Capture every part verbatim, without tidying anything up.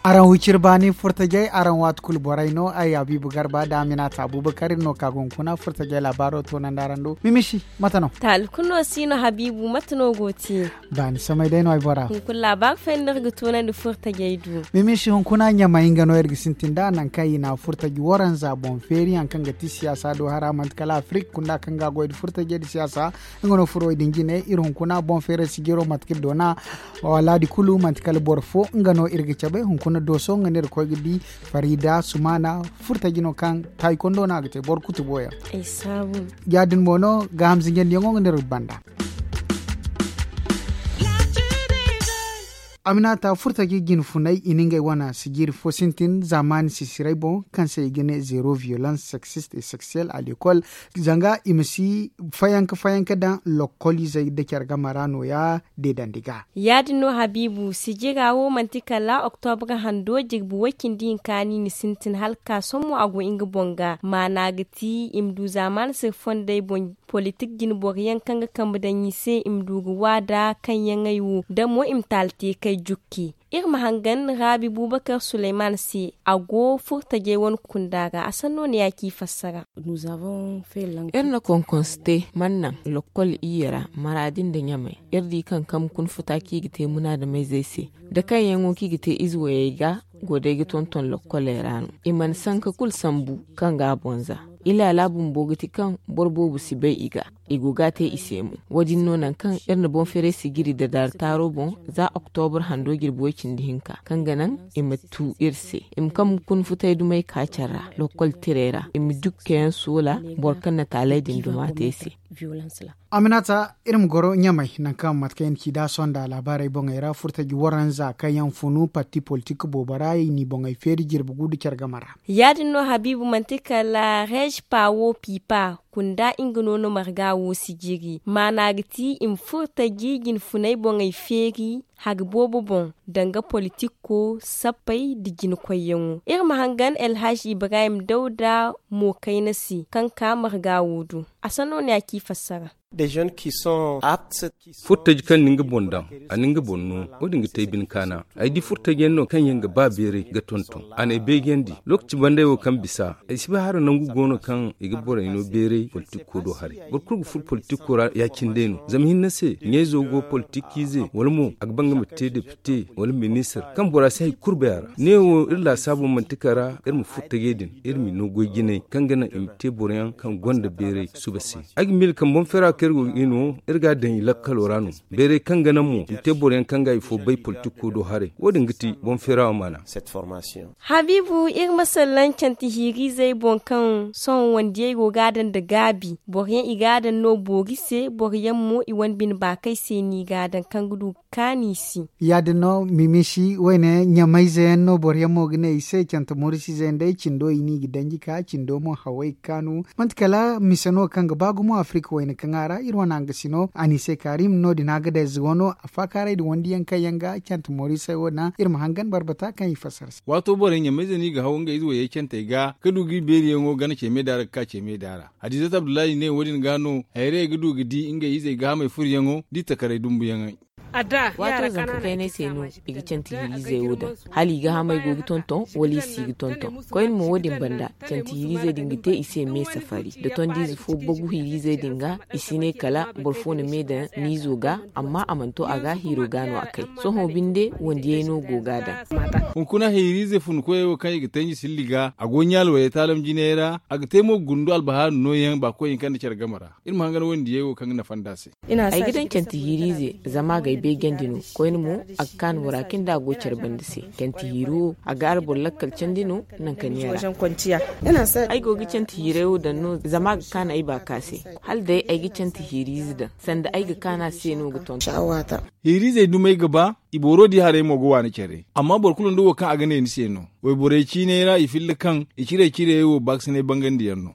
Araŋ wiciri baani furtajey, araŋ waati kulu borey no. Ay Habiibu Garba da Aminata Abubakar, iri no ka ga hunkuna furtajey laabaaro toonandi araŋ do. Mimisi, mate no? Taali kulu no si no, Habiibu, mate no go te? Baani samay day no ay bora. Hunkuna laabaari fayyaŋ no iri ga toonandi furtajey do. Mimisi, hunkuna Ɲamay nga no iri ga sintin nd'a, nangu kaŋ i na furtaji waranza boŋ feeri, hari kaŋ ga ti siyaasa do hara, manti kala Afirik kunda kaŋ ga goy nda furtajey nda siyaasa. Nga no furo din jine, iri hunkuna boŋ feeri sijiro mate kaŋ iri doona. Walaadi kulu manti kala boro fo, nga no iri ga cabe. Hunkuna Dooso, nga no iri koy ga di Farida Sumana, furtaji no kaŋ taaykondo no a ga te boro kutubo yaŋ. Ya-din mo no, gaaham zinjandiyaŋo nga no iri ga banda. Aminata, furtaji jinfuney, i na ngey wane sijiri fo sintin zaamaani sisirey boŋ, kaŋ se i ga ne zéro violence sexiste et sexuelle à l'école, zanga i ma si fayanka fayanka daŋ lokoliizey nda care game ra nooya deedandi ga. Ya-din no, Habiibu, sijira wo manti kala oktobra hando jirbi way cindi hinka no i na sintin hala ka sohõ mo a go nga boŋ ga. Maana ga ti i ma du zaamaani siri fondey boŋ politik jinboroyaŋ kaŋ ga kambe daŋ i se, i ma du ga waada kaŋ yaŋ ay wo, da mo i ma taali te kay jukki. Iri ma hangan Raabi Bubakar Suleyman se, a go furtajey wane kunda ra, a sanno ne ya ci fassara. Iri na konkonsu te, mana naŋ lokol iyye ra, Maraadi nda Ɲamay. Iri di kaŋ kambe kuna futa kaŋ i ga te munaadameyzey se, da kaŋ yaŋo kaŋ i ga te ize wayey ga, go day ga tonton lokkoley ra no. I mana sanka kulu sambu kaŋ ga a boŋ za. Ilaala bumbo ga ti kaŋ boro boobo si bay i ga. I go ga a te i se mo. Wo-din no nangu kaŋ iri na boŋ feeray sijiri da daari taaro boŋ, za oktobra hando jirbi way cindi hinka, kaŋ ga naŋ i ma tu iri se, i ma kambe kuna futay dumey ka care ra, lokkol tirey ra, i ma dukkayaŋ soola boro kaŋ na taaley din duma te se. Aminata, iri ma goro Ɲamay, nangu kaŋ mate kaŋ i na ci da a sohõ nda laabaarey boŋey ra, furtaji waranza kaŋ yaŋ funu parti politik boobo ra, i n'i boŋey feeri jirbi gu nda care game ra. Ya-din no, Habiibu, manti kala Reej Paawo Piipa kunda, nga no na marga wo sijiri. Maana ga ti i ma furtaji jinfuney boŋey feeri hari boobo boŋ, danga politiko, sappey nda jinakoyyaŋo. Iri ma hangan Elhaj Ibrahim Dawda mo kayna se, kaŋ ka marga wo do. A sanno ne ya ci fassara. Furtaji kaŋ na nga boŋ daŋ, a na nga boŋ no. Wo-din ga te ay bine kaana. Ay di furtaji yaŋ no kaŋ yaŋ ga ba beeray ga tonton. A n'ay beejandi. Lookaci banday wo kaŋ bisa, ay si bay hala nangu go no kaŋ i ga borey no beeray politiko do haray. Boro kulu ga furo politiko ra ya-cine day no. Zama hinne se, ɲayzo go politikiize, wala mo a ga ba nga ma te depite wala ministir. Kaŋ bora si hay kulu bay a ra. Neewo iri laasaabo manti kala iri ma furtajey din, iri m'i no goy jinay kaŋ ga naŋ i ma te boroyaŋ kaŋ gonda beeray suba se. Ay ga miila kaŋ boŋ feera kaŋ iri go ga no, iri ga a daŋ i lakkalo ra no. Beeray kaŋ ga naŋ mo i ma te boroyaŋ kaŋ ga i fo bay politiko do haray. Wo-din ga ti boŋ feera wo maana. Habiibu, iri ma sallaŋ cante hiiriizey boŋ kaŋ sohõ wandiyey go ga a daŋ nda gaabi. Boroyaŋ i ga a daŋ no boori se, boroyaŋ mo i wane bine baakey se no i ga a daŋ kaŋ ga du kaani si. Ya-din no, Mimisi, wayne ɲamayze yaŋ no boroyaŋ mo ga ne i se, cante morisizey yaŋ day cindo i n'i ga danji ka, cindo mo haway ga kaanu. Manti kala mise no kaŋ ga ba gumo Afirika wayne kaŋ a ra, iri wane hangasino, Anise Karim, no-din a ga day zugo no, a faakaaray da wandiyaŋ kaŋ yaŋ ga cante morisey wo naŋ, iri ma hangan barbata kaŋ i fassara se. Waato borey ɲamayze no i ga haw ngey ize wayey cantey ga, ga du ga i beeriyaŋo gana ce me daara ga ka ce me daara. Hadizat Abdullahi ne wo-din ga no, hayrayey ga du ga di ngey izey gaahamey furoyaŋo, da i takaray dumbuyaŋey. Waato zanka kaynay se no i ga canti hirizey wo daŋ. Hala i ga hamay go ga tonton, wala i si ga tonton. Koyne mo wo-din banda, canti hirizey din ga te i se me safari. Da tondiize fo bagu hirizey din ga, i si ne kala boro fo na me daŋ niizo ga, amma a mana to a ga, hiiro ga no a kay. Sohõ binde, wandiyey no go ga daŋ. Hunkuna hiriize funkoyey wo kaŋ i ga tanji silli ga, a go ɲaali wayey taalam jinayey ra, a ga te mo ga gundu albahaari nooyaŋ baakoy hinka nda care game ra. Iri ma hangan wandiyey wo kaŋ ga nafa nd'a se. Ay ga daŋ canti hiiriize, zama a g'ay beejandi no. Koyne mo, a ga kaan bora kaŋ da a go care banda se. Canti hiiri wo, a ga araŋ boro lakkal candi no, nangu kaŋ ni a ra. Ay go ga canti hiirey wo daŋ no, zama a ga kaan ay baaka se. Hala day ay ga canti hiiriize daŋ, sanda ay ga kaan a se no ga tonton. Hiiriizey dumey ga ba, i booro di haray mo ga waani care. Amma boro kulu nda wo kaŋ a ga ne ni se no. Wayborey ciiney ra i filla kaŋ i ciray-cirayey wo baakasinay bangandiyaŋ no.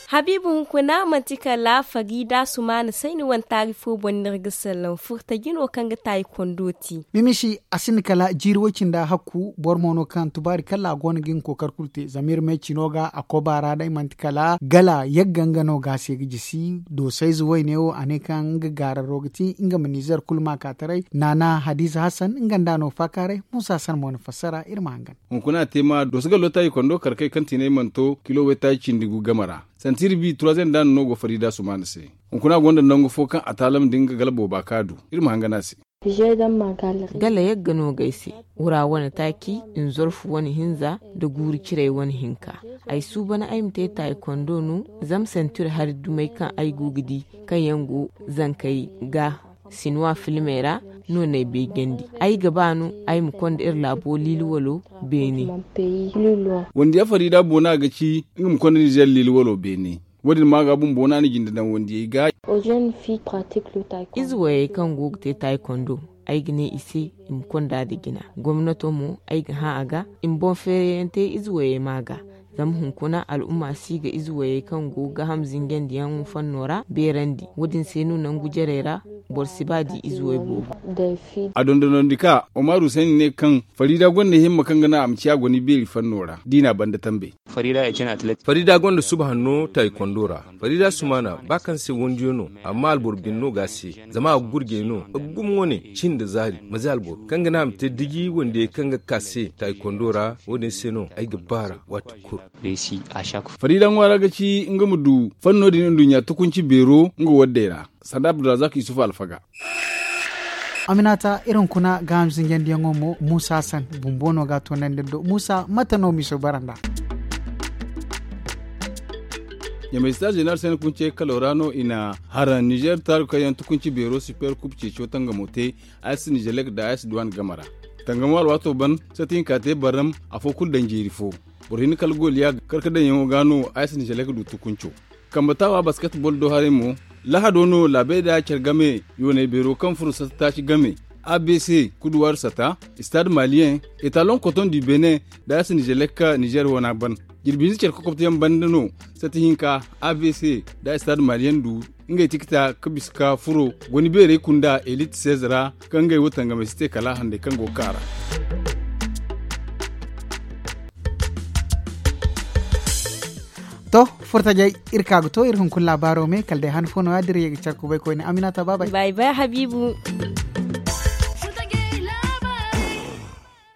Habiibu, hunkuna manti kala fariida sumaana sayni wane taari fo boŋ no iri ga sallaŋ furtaji no kaŋ ga taayi kondo te. Mimisi, a sinda kala jiiri way-cindi hakku boro mo no kaŋ tubaari kala a go no ga nga kookari kulu te zama iri ma ay cino ga a koba ra day manti kala gala yagga nga no ga a se ga jisi doosayze wayne wo a ne kaŋ nga gaararo ga ti nga ma nizer kulu ma ka taray naana hadiza hasan nga nda a no faakaaray. Muusa san mo na fassara iri ma hangan. Hunkuna a te ma dooso gallo taaji kondo kar kay kaŋ tiinay mana to kilo waytaaji cindi gu game ra. Santi iri bi turaziyeŋ daana no go fariida sumaana se. Hunkuna a gonda nangu fo kaŋ a taalam nda nga gala booba kaŋ a du. Iri ma hangan a se. Gala yagga no ga ay se. Wura wane taaci nzorfu wane hinza nda guuru ciray wane hinka. Ay suuban ay ma te taayi kondo no. Zama santi iri hari dumey kaŋ ay go ga di kaŋ yaŋ go zankey ga sinuwa filmey ra no no ay beejandi. Ay ga ba no ay ma konda iri laabo liili walo beene. Wande ya fariida boona ga ci nga ma konda nizer liili walo beene. Wo- din ma ga bumbo no a na jinde daŋ wandiyey ga. Ize wayey kaŋ go ga te taayi kondo, ay ga ne i se i ma konda nda jina. Gomnato mo ay ga hã a ga i ma boŋ feerayaŋ te ize wayey ma ga. Zama hunkuna al'umma si ga ize wayey kaŋ go ga ham zinjandiyaŋ fanno ra beerandi. Wo- din se no nangu jarey ra boro si ba di ize way boobo. A dondonandi ka omar husaini ne kaŋ fariida gonda himma kaŋ ga naŋ a ma ciya goni beeri fanno ra da i n'a banda tambe. Fariida gonda suba hanno taayikondo ra. Fariida sumaana ba kaŋ se wandiyo no, amma alboro bine no ga a se. Zama a ga gurjey no a ga gumo wane cin nda zaari maze alboro kaŋ ga naŋ a ma te diji wandiyey kaŋ ga ka se taayikondo ra. Wo- din se no ay ga baara waati kulu. Fariida ŋwaara ga ci nga ma du fanno din nduɲɲa tukunci beero nga waddey ra. Sanda abdulrazak yusuf alfaga. Aminata iri hunkuna ga hamsinjandiyaŋo mo muusa san bumbo no ga a toonandi iri do muusa mate no miso bara nd'a? Ɲamay star zeneral sene kunce kalo ra no i na haraŋ nizer taaru kaŋ yaŋ tukunci beero super kub ceeco tangamo te. Ayas nizelek nda ayas duwan game ra tangamo alwaato ban sati hinka te barram afo kulu daŋ jeeri fo. Boro hinne kala goliya karkadaŋyaŋo ga no ayas nizelek du tukunco. Kambe taawa basketbol do haray mo. Lahado no laabey da care game yoonay beero kaŋ furo sata taaci game abc kuduwaaru sata stade maliyen etalon koton du benin da a si nizer lekka nizer wana ban. Jirbi hinza care kokobteyaŋ banda no sata hinka abc da stade maliyen du ngey tikita ka bisa ka furo goni beerey kunda elit seize ra kaŋ ngey wo tangamey si te kala handay kaŋ go ga ka ra. To, furtajey, iri ka ga to iri hunkuna laabaaro me kala day han fo no- ya da iri ye ga care kubay koyne aminata baabay. Bay bay habiibu.